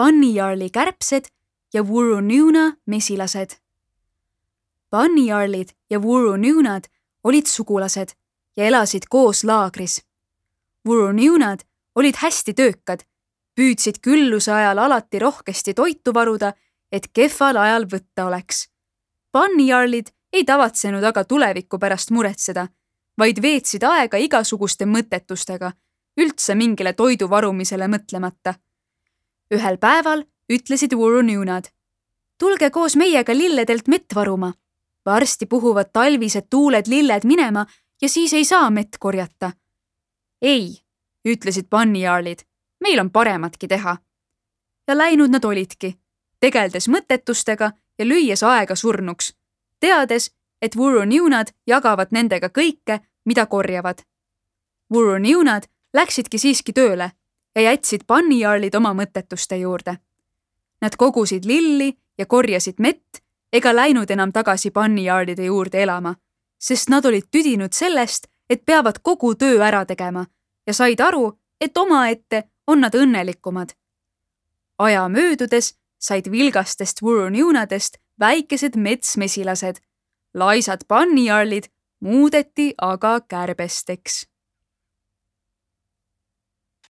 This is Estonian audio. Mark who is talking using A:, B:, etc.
A: Bunny-Jarli kärbsed ja Wuru-Nuna mesilased. Bunny-Jarlid ja Wuru-Nunad olid sugulased ja elasid koos laagris. Wuru-Nunad olid hästi töökad, püüdsid külluse ajal alati rohkesti toitu varuda, et kehval ajal võtta oleks. Bunny-Jarlid ei tavatsenud aga tuleviku pärast muretseda, vaid veetsid aega igasuguste mõttetustega, üldse mingile toidu varumisele mõtlemata. Ühel päeval ütlesid Wuru-Nunad: tulge koos meiega lilledelt mett varuma. Varsti puhuvad talvised tuuled lilled minema ja siis ei saa mett korjata. Ei, ütlesid Bunny-Jarlid, meil on parematki teha. Ja läinud nad olidki, tegeldes mõttetustega ja lüües aega surnuks, teades, et Wuru-Nunad jagavad nendega kõike, mida korjavad. Wuru-Nunad läksidki siiski tööle ja jätsid Bunny-Jarlid oma mõttetuste juurde. Nad kogusid lilli ja korjasid mett ega läinud enam tagasi Bunny-Jarlide juurde elama, sest nad olid tüdinud sellest, et peavad kogu töö ära tegema ja said aru, et omaette on nad õnnelikumad. Aja möödudes said vilgastest Wuru-Nunadest väikesed metsmesilased. Laisad Bunny-Jarlid muudeti aga kärbesteks.